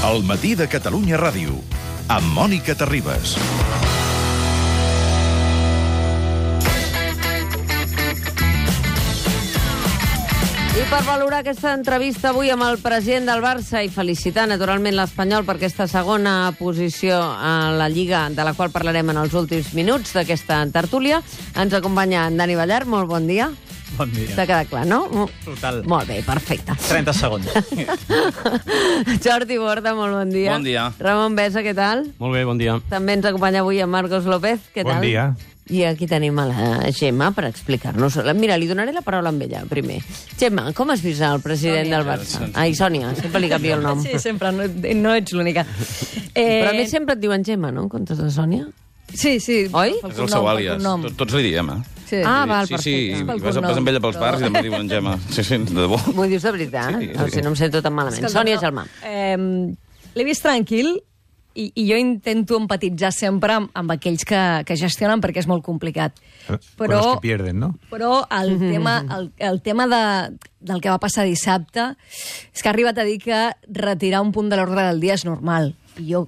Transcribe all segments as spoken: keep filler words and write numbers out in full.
El matí de Catalunya Ràdio, amb Mònica Terribas. I per valorar aquesta entrevista avui amb el president del Barça i felicitar naturalment l'Espanyol per aquesta segona posició a la Lliga, de la qual parlarem en els últims minuts d'aquesta tertúlia, ens acompanya en Dani Ballart. Molt bon dia. Bon dia. T'ha quedat clar, no? Total. Molt bé, perfecte. trenta segons. Jordi Borda, molt bon dia. Bon dia. Ramon Besa, què tal? Molt bé, bon dia. També ens acompanya avui en Marcos López, què tal? Bon dia. I aquí tenim a la Gemma per explicar-nos. Mira, li donaré la paraula amb ella, primer. Gemma, com has vist el president Sònia. del Barça? Ai, Sònia, sempre li canvio el nom. Sí, sempre, no, no ets l'única. Eh... Però a més sempre et diuen Gemma, no?, en comptes de Sònia? Sí, sí. Oi? Pel És el cognom, seu pel àlies. cognom. Tots, tots li diem, eh? Sí. Ah, val, sí, perfecte. sí, Pel vas, cognom. vas amb ella pels Però- bars i també diuen Gemma. Sí, sí, de debò. M'ho dius de veritat? Sí, sí. O sigui, no em sento tan malament. Escolta, Sònia però, Gelmà. Eh, L'he vist tranquil i, i jo intento empatitzar sempre amb, amb aquells que, que gestionen perquè és molt complicat. Con Però, los que pierden, ¿no? però el tema, el, el tema de, del que va passar dissabte és que ha arribat a dir que retirar un punt de l'ordre del dia és normal. I jo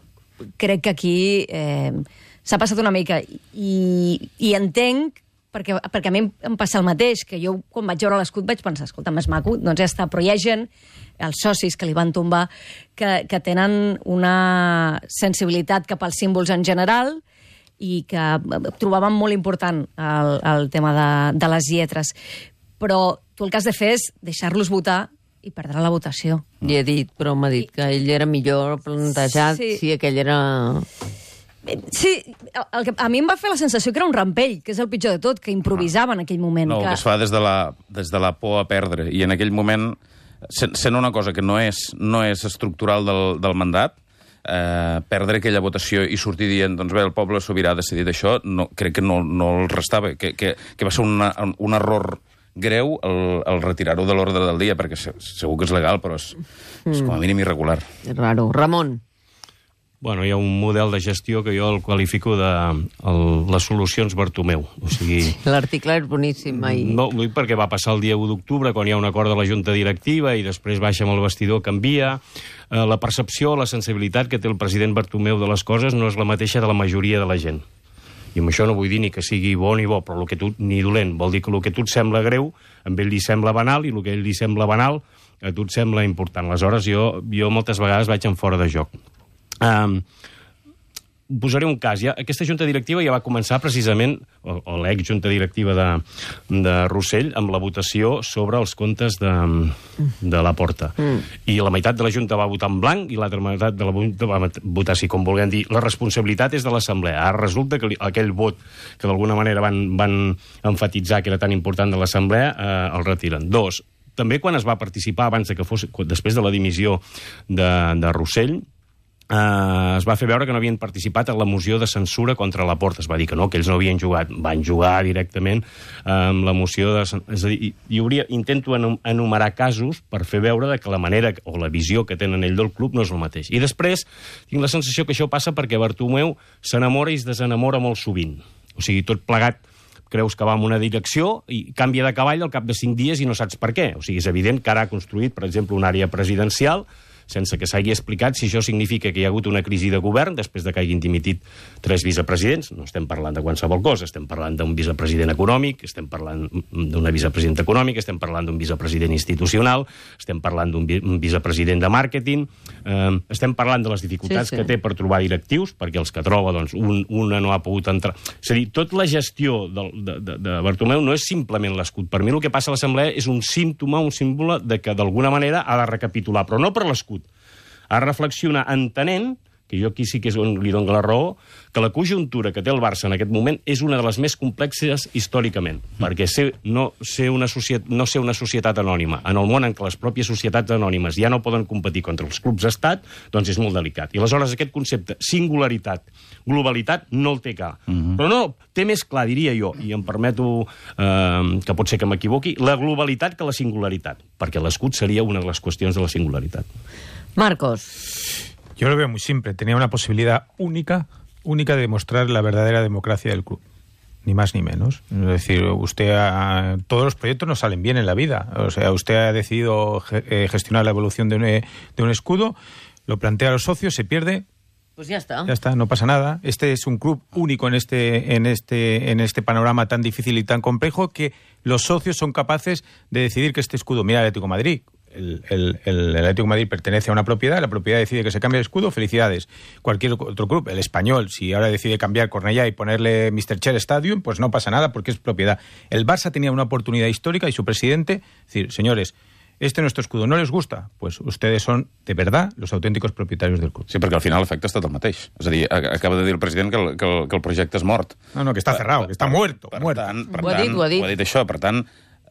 crec que aquí eh, s'ha passat una mica. I, i entenc, perquè, perquè a mi em passa el mateix, que jo quan vaig veure l'escut vaig pensar, escolta, més maco, doncs ja està, però hi ha gent, els socis que li van tombar, que, que tenen una sensibilitat cap als símbols en general i que trobaven molt important el, el tema de, de les lletres. Però tu el que has de fer és deixar-los votar i perdre la votació. I he dit, però m'ha dit que ell era millor plantejat Sí. si aquell era... Sí, el que, a mi em va fer la sensació que era un rampell, que és el pitjor de tot, que improvisava en aquell moment. No, que... que es fa des de la, des de la por a perdre. I en aquell moment, sent, sent una cosa que no és, no és estructural del, del mandat, eh, perdre aquella votació i sortir dient, doncs bé, el poble sobirà ha decidit això, no, crec que no, no el restava, que, que, que va ser una, un error greu el, el retirar-ho de l'ordre del dia, perquè segur que és legal, però és, és com a mínim irregular. És raro. Ramon. Bueno, hi ha un model de gestió que jo el qualifico de el, les solucions Bartomeu. O sigui, L'article és boníssim. Ai. no, ho dic perquè va passar el dia u d'octubre, quan hi ha un acord de la Junta Directiva i després baixa amb el vestidor, canvia. Eh, la percepció, la sensibilitat que té el president Bartomeu de les coses no és la mateixa de la majoria de la gent. I amb això no vull dir ni que sigui bo ni bo, però el que tu, ni dolent. Vol dir que el que a tu et sembla greu, a ell li sembla banal, i el que a ell li sembla banal, a tu et sembla important. Aleshores, jo, jo moltes vegades vaig en fora de joc. Um, posaré un cas. Ja, aquesta junta directiva ja va començar precisament, o, o l'ex-junta directiva de, de Rossell, amb la votació sobre els comptes de, de la Porta. Mm. I la meitat de la junta va votar en blanc i l'altra meitat de la junta va votar, si com vulguem dir, la responsabilitat és de l'Assemblea. Ara resulta que li, aquell vot que d'alguna manera van, van enfatitzar que era tan important de l'Assemblea, eh, el retiren. Dos, també quan es va participar abans de que fos, després de la dimissió de, de Rossell, Uh, es va fer veure que no havien participat en la moció de censura contra la Porta. Es va dir que no, que ells no havien jugat. Van jugar directament amb la moció de... És a dir, hi, hi hauria, intento enumerar casos per fer veure que la manera o la visió que tenen ell del club no és el mateix. I després tinc la sensació que això passa perquè Bartomeu s'enamora i es desenamora molt sovint. O sigui, tot plegat creus que va en una direcció i canvia de cavall al cap de cinc dies i no saps per què. O sigui, és evident que ara ha construït, per exemple, una àrea presidencial sense que s'hagi explicat si això significa que hi ha hagut una crisi de govern després de que hagin dimitit tres vicepresidents. No estem parlant de qualsevol cosa, estem parlant d'un vicepresident econòmic, estem parlant d'una vicepresidenta econòmica, estem parlant d'un vicepresident institucional, estem parlant d'un vi vicepresident de màrqueting, eh, estem parlant de les dificultats sí, sí. que té per trobar directius, perquè els que troba, doncs, un, una no ha pogut entrar. És a dir, tota la gestió de, de, de, de Bartomeu no és simplement l'escut. Per mi el que passa a l'Assemblea és un símptoma, un símbol de que d'alguna manera ha de recapitular, però no per l'escut, a reflexionar entenent, que jo aquí sí que és on li dono la raó, que la conjuntura que té el Barça en aquest moment és una de les més complexes històricament, mm. perquè ser, no, ser una societat, no ser una societat anònima, en el món en què les pròpies societats anònimes ja no poden competir contra els clubs d'estat, doncs és molt delicat. I aleshores aquest concepte, singularitat, globalitat, no el té clar. Mm -hmm. Però no, té més clar, diria jo, i em permeto eh, que pot ser que m'equivoqui, la globalitat que la singularitat, perquè l'escut seria una de les qüestions de la singularitat. Marcos. Yo lo veo muy simple. Tenía una posibilidad única, única de demostrar la verdadera democracia del club. Ni más ni menos. Es decir, usted ha, todos los proyectos no salen bien en la vida. O sea, usted ha decidido ge- gestionar la evolución de un, de un escudo. lo plantea a los socios, se pierde. Pues ya está. Ya está, no pasa nada. Este es un club único en este, en este, en este panorama tan difícil y tan complejo que los socios son capaces de decidir que este escudo, mira el Atlético de Madrid, el, el, el, el Atlético de Madrid pertenece a una propiedad, la propiedad decide que se cambie el escudo, felicidades. Cualquier otro club, el Español, si ahora decide cambiar Cornellá y ponerle mister Cher Stadium, pues no pasa nada porque es propiedad. El Barça tenía una oportunidad histórica y su presidente, decir, señores, este nuestro escudo no les gusta, pues ustedes son, de verdad, los auténticos propietaris del club. Sí, perquè al final l'efecte ha estat el mateix. És a dir, acaba de dir el president que el, que el, que el projecte és mort. No, no, que està cerrado, que està muerto. Per, muerto. tant, per ho ha tant, dit, ho ha dit. Ho ha dit això, per tant,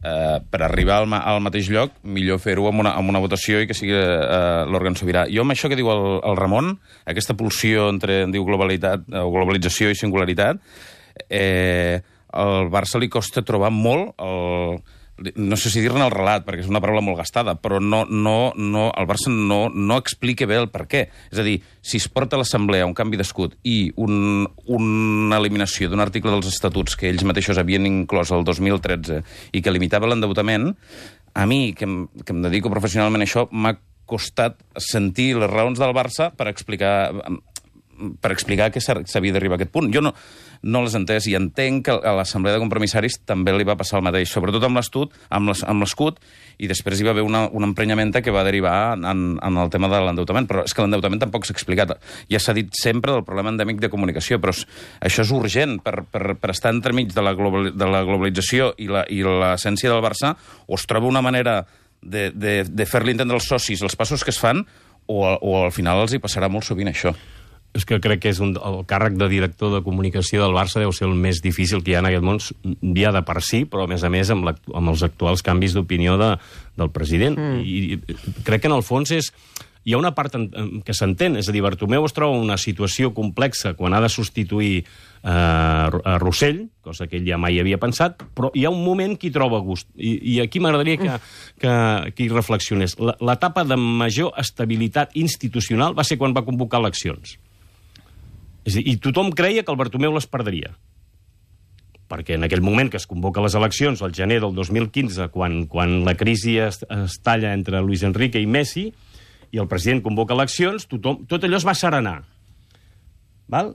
eh, per arribar al, al mateix lloc, millor fer-ho amb, una, amb una votació i que sigui eh, l'òrgan sobirà. Jo amb això que diu el, el Ramon, aquesta pulsió entre, en diu, globalitat, o globalització i singularitat, eh, al Barça li costa trobar molt el... no sé si dir-ne el relat, perquè és una paraula molt gastada, però no, no, no, el Barça no, no explica bé el per què. És a dir, si es porta a l'Assemblea un canvi d'escut i un, una eliminació d'un article dels estatuts que ells mateixos havien inclòs el dos mil tretze i que limitava l'endeutament, a mi, que em, que em dedico professionalment a això, m'ha costat sentir les raons del Barça per explicar... per explicar que s'havia d'arribar a aquest punt. Jo no, no les he entès i entenc que a l'Assemblea de Compromissaris també li va passar el mateix, sobretot amb l'escut, amb l'escut, i després hi va haver una, una emprenyamenta que va derivar en, en el tema de l'endeutament, però és que l'endeutament tampoc s'ha explicat. Ja s'ha dit sempre del problema endèmic de comunicació, però això és urgent per, per, per estar entremig de la, global, de la globalització i l'essència del Barça, o es troba una manera de, de, de fer-li entendre als socis els passos que es fan, o, o al final els hi passarà molt sovint això. És que crec que és un, el càrrec de director de comunicació del Barça deu ser el més difícil que hi ha en aquest món, ja de per si, però a més a més amb, amb els actuals canvis d'opinió de, del president. Mm. I, I crec que en el fons és... Hi ha una part en, en, que s'entén, és a dir, Bartomeu es troba en una situació complexa quan ha de substituir eh, a Rossell, cosa que ell ja mai havia pensat, però hi ha un moment que hi troba gust. I, i aquí m'agradaria que, que, que hi reflexionés. L'etapa de major estabilitat institucional va ser quan va convocar eleccions. És a dir, i tothom creia que el Bartomeu les perdria. Perquè en aquell moment que es convoca les eleccions, al gener del dos mil quinze, quan, quan la crisi es, es talla entre Luis Enrique i Messi, i el president convoca eleccions, tothom, tot allò es va serenar. Val?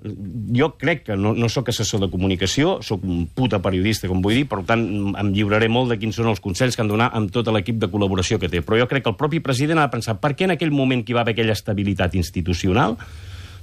Jo crec que no, no sóc assessor de comunicació, sóc un puta periodista, com vull dir, per tant em lliuraré molt de quins són els consells que han de donar amb tot l'equip de col·laboració que té. Però jo crec que el propi president ha de pensar per què en aquell moment que hi va haver aquella estabilitat institucional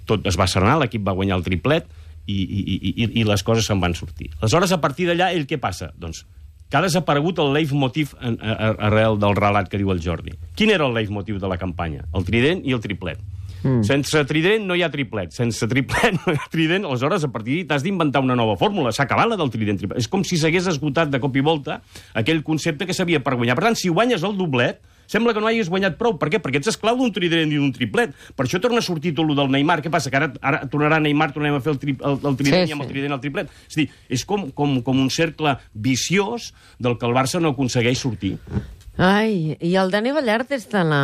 tot es va serenar, l'equip va guanyar el triplet i, i, i, i les coses se'n van sortir. Aleshores, a partir d'allà, ell què passa? Doncs que ha desaparegut el leitmotiv arrel del relat que diu el Jordi. Quin era el leitmotiv de la campanya? El trident i el triplet. Mm. Sense trident no hi ha triplet. Sense triplet no hi ha trident. Aleshores, a partir d'ahir t'has d'inventar una nova fórmula. S'ha acabat la del trident triplet. És com si s'hagués esgotat de cop i volta aquell concepte que s'havia per guanyar. Per tant, si guanyes el doblet, sembla que no hagis guanyat prou. Per què? Perquè ets esclau d'un trident i d'un triplet. Per això torna a sortir tot el del Neymar. Què passa? Que ara, ara tornarà Neymar, tornem a fer el, tri, el, el trident sí, sí. i amb el trident el triplet. És a dir, és com, com, com un cercle viciós del que el Barça no aconsegueix sortir. Ai, i el Dani Ballart és de la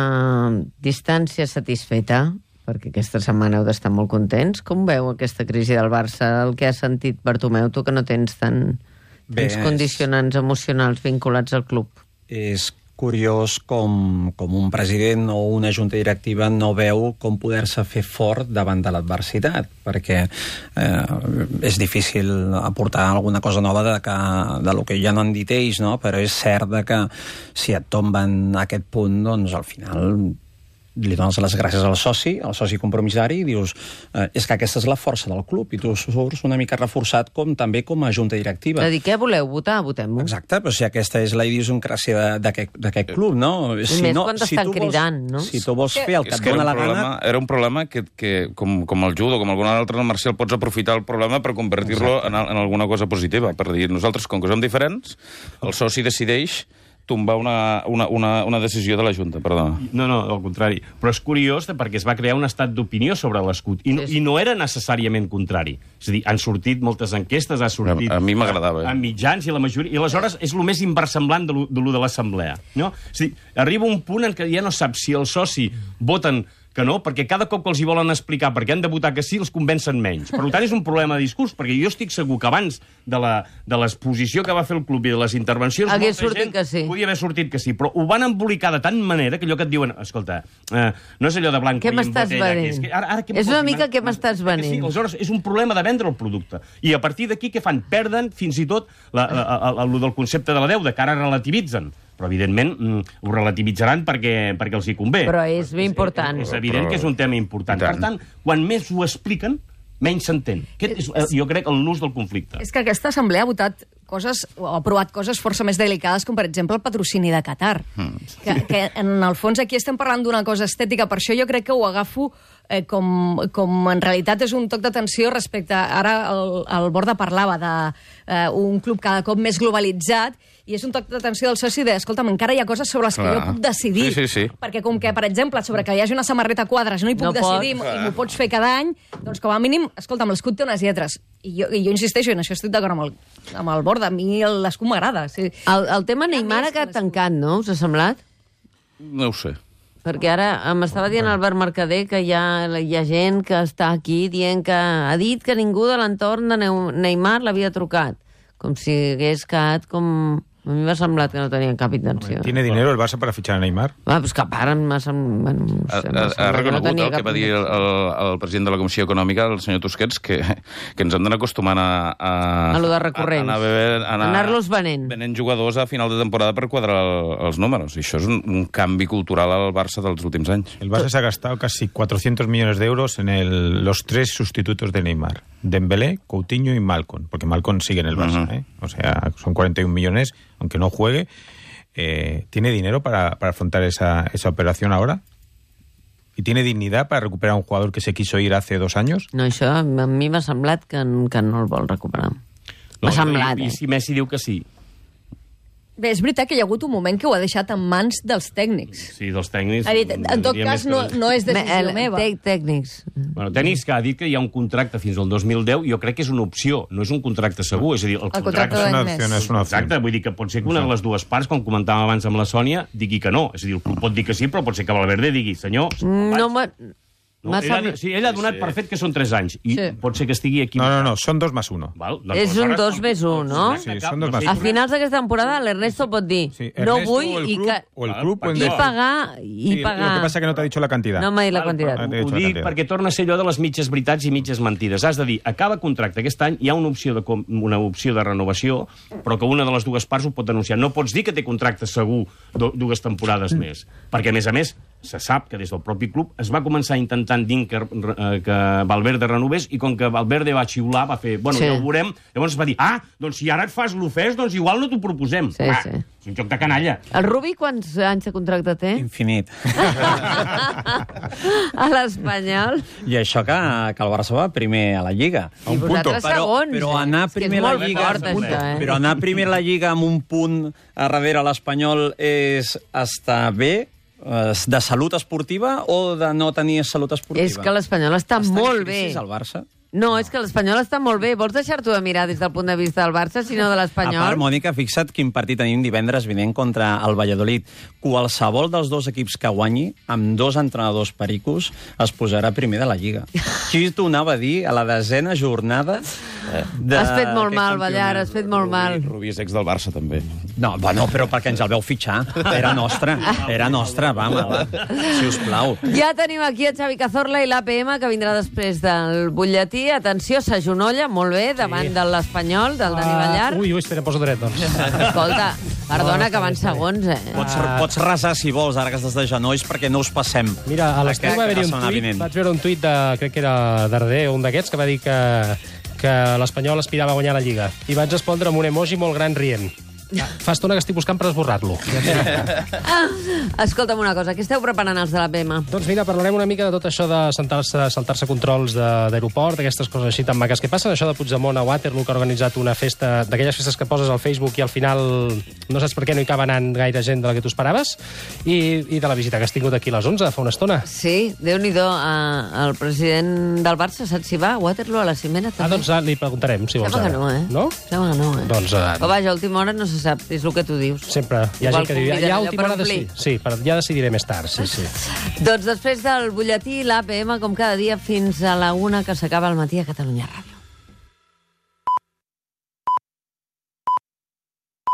distància satisfeta? Perquè aquesta setmana heu d'estar molt contents. Com veu aquesta crisi del Barça, el que ha sentit Bartomeu, tu que no tens tant, tants condicionants emocionals vinculats al club? És curiós com, com un president o una junta directiva no veu com poder-se fer fort davant de l'adversitat, perquè eh, és difícil aportar alguna cosa nova de, que, de lo que ja no han dit ells, no? Però és cert de que si et tomben a aquest punt, doncs al final li dones les gràcies al soci, al soci compromissari, i dius, eh, és que aquesta és la força del club, i tu surts una mica reforçat com també com a junta directiva. És a dir, què voleu? Votar? Votem-ho. Exacte, però si aquesta és la idiosincràsia d'aquest club, no? I si més no, quan si t'estan vols, cridant, no? Si tu vols fer el que et que dóna la problema, gana... Era un problema que, que com, com el judo, com algun altre, el Marcial, pots aprofitar el problema per convertir-lo en, en alguna cosa positiva. Per dir, nosaltres, com que som diferents, el soci decideix tombar una, una, una, una decisió de la Junta, perdona. No, no, al contrari. Però és curiós perquè es va crear un estat d'opinió sobre l'escut. I, no, I no era necessàriament contrari. És a dir, han sortit moltes enquestes, ha sortit... A, a mi m'agradava. A, a mitjans i la majoria... I aleshores és el més inversemblant de lo de, de l'assemblea. No? És a dir, arriba un punt en què ja no saps si el soci voten que no, perquè cada cop que els hi volen explicar perquè han de votar que sí, els convencen menys. Per tant, és un problema de discurs, perquè jo estic segur que abans de la, de l'exposició que va fer el club i de les intervencions, Hagués molta sortit gent que sí. podia haver sortit que sí, però ho van embolicar de tant manera que allò que et diuen, escolta, eh, no és allò de blanc Què i en m'estàs botella, que venent? és, que ara, ara, què És una m'estàs mica venent? què m'estàs Que Sí, venent. aleshores, és un problema de vendre el producte. I a partir d'aquí, què fan? Perden fins i tot la, la, la, la, el del concepte de la deuda, que ara relativitzen. Però, evidentment, mm, ho relativitzarà perquè, perquè els hi convé. Però és ben important. És, és evident que és un tema important. Per tant, quan més ho expliquen, menys s'entén. Aquest és, eh, jo crec, el nus del conflicte. És que aquesta assemblea ha votat coses, o ha aprovat coses força més delicades, com per exemple el patrocini de Qatar. Mm. Que, que en el fons aquí estem parlant d'una cosa estètica, per això jo crec que ho agafo eh, com, com en realitat és un toc d'atenció respecte... Ara el, el Borda parlava d'un eh, club cada cop més globalitzat, i és un toc d'atenció del soci de, escolta'm, encara hi ha coses sobre les que Clar. jo puc decidir. Sí, sí, sí. Perquè com que, per exemple, sobre que hi hagi una samarreta a quadres no hi puc No decidir pots. i m'ho pots fer cada any, doncs com a mínim, escolta'm, l'escut té unes lletres. I jo, i jo insisteixo, i en això estic d'acord amb, el, amb el Borda, a mi l'escut m'agrada. Sí. El, el tema Hi ha Neymar més ha quedat que l'escut. tancat, no? Us ha semblat? No ho sé. Perquè ara m'estava dient Albert Mercader que hi ha, hi ha gent que està aquí dient que ha dit que ningú de l'entorn de Neu- Neymar l'havia trucat. Com si hagués quedat com... A mi m'ha semblat que no tenien cap intenció. ¿Tiene dinero el Barça para fichar a Neymar? Va, pues que a part m'ha semblat... Bueno, no Ha, sé, ha, m'ha ha semblat que reconegut tenia el que cap va dir el, el, el president de la Comissió Econòmica, el senyor Tusquets, que, que ens hem d'anar acostumant a... A, A lo de recurrents. A, a anar, anar, Anar-los venent. Venent jugadors a final de temporada per quadrar el, els números. I això és un, un canvi cultural al Barça dels últims anys. El Barça se ha gastado casi cuatrocientos millones de euros en el, los tres sustitutos de Neymar. Dembélé, Coutinho y Malcom. Porque Malcom sigue en el Barça, Uh-huh. ¿eh? O sea, son cuarenta y un millones, aunque no juegue. Eh, ¿Tiene dinero para, para afrontar esa, esa operación ahora? ¿Y tiene dignidad para recuperar a un jugador que se quiso ir hace dos años? No, això a mi m'ha semblat que, que no el vol recuperar. M'ha semblat, I, eh? I si Messi diu que sí. Bé, és veritat que hi ha hagut un moment que ho ha deixat en mans dels tècnics. Sí, dels tècnics... Ha dit, en tot diria cas, més que no, dels- no és Me- decisió el- meva. tec- Tècnics. Bueno, tècnics que ha dit que hi ha un contracte fins al dos mil deu, jo crec que és una opció, no és un contracte segur, és a dir, el, El contracte Es d'un una any opción, més. es una opción. Exacte, vull dir que pot ser que una de les dues parts, com comentàvem abans amb la Sònia, digui que no. És a dir, el club pot dir que sí, però pot ser que Valverde digui, senyor... No m'ha... no, m'ha ell, ha, semblat- sí, ell ha donat per fet que són tres anys, i Sí. pot ser que estigui aquí... No, no, no, son dos más uno. Val? És un dos més un, no? Sí, són dos més A finals d'aquesta temporada l'Ernesto pot dir Sí, no Ernesto vull o el i, club, que, o el club o el i Barça. pagar... I Sí, pagar. Lo que pasa es que no te ha dicho la cantidad. No m'ha dit la Val, quantitat. però Ah, t'he Ho dit la dic quantitat. perquè torna a ser allò de les mitges veritats i mitges mentides. Has de dir, acaba contracte aquest any, hi ha una opció de, com- una opció de renovació, però que una de les dues parts ho pot denunciar. No pots dir que té contracte segur du- dues temporades més, perquè, a més a més, se sap que des del propi club es va començar intentant dir que, eh, que Valverde renovés, i com que Valverde va xiular, va fer, bueno, Sí. ja ho veurem, llavors es va dir, ah, doncs si ara et fas l'ofès, doncs igual no t'ho proposem. Sí, ah, sí. És un joc de canalla. El Rubi quants anys de contracte té? Infinit. A l'Espanyol? I això que, que el Barça va primer a la Lliga. I vosaltres segons, però eh? anar És que és primer a la molt Lliga, fort, això, eh? però anar primer a la Lliga amb un punt a darrere l'Espanyol és estar bé, eh, de salut esportiva o de no tenir salut esportiva? És que l'Espanyol està, Està en molt bé. crisi, el Barça? No, és que l'Espanyol està molt bé. Vols deixar-t'ho de mirar des del punt de vista del Barça, sinó de A l'Espanyol? part, Mònica, fixa't quin partit tenim divendres vinent contra el Valladolid. Qualsevol dels dos equips que guanyi, amb dos entrenadors pericos, es posarà primer de la Lliga. Qui t'ho anava a dir a la desena jornada de... Has fet molt aquest mal, Ballar, campionat? has fet molt mal. Rubí és ex del Barça, també. No, bueno, però perquè ens el veu fitxar. Era nostre, era nostre, vamos, si us plau. Ja tenim aquí a Xavi Cazorla i l'A P M, que vindrà després del butlletí. Atenció, s'agenolla molt bé davant de l'Espanyol, del Dani Ballar. Uh, ui, ui, espera, poso dret, doncs. Escolta, perdona, que van segons, eh? Pots, pots resar, si vols, ara que estàs de genolls, perquè no us passem. Mira, a l'estiu Aquest va haver-hi la un setmana tuit, vinent. vaig veure un tuit de, crec que era Darder, un d'aquests, que va dir que, que l'Espanyol aspirava a guanyar la Lliga. I vaig respondre amb un emoji molt gran rient. Fa estona que estic buscant per esborrar-lo. Escolta'm una cosa, què esteu preparant els de l'A P M? Doncs mira, parlarem una mica de tot això de saltar-se saltar-se controls de- d'aeroport, d'aquestes coses així tan maques que passen, això de Puigdemont a Waterloo, que ha organitzat una festa, d'aquelles festes que poses al Facebook i al final no saps per què no hi acaba anant gaire gent de la que tu esperaves, i, i de la visita que has tingut aquí a les onze, fa una estona. Sí, Déu-n'hi-do, eh, el president del Barça, saps si va a Waterloo a la cimera Ah, també? doncs ah, li preguntarem, si vols. Sembla que ara. no, eh? No? Sembla que no, eh? Doncs... Uh, Però vaja, a última hora no se se sap, és el que tu dius. Sempre. Hi ha Igual gent que diu, conviden ja a allò última per hora omplir. decidir. Sí, però ja decidiré més tard, sí, sí. Doncs després del butlletí, l'A P M, com cada dia, fins a la una, que s'acaba al matí a Catalunya Ràdio.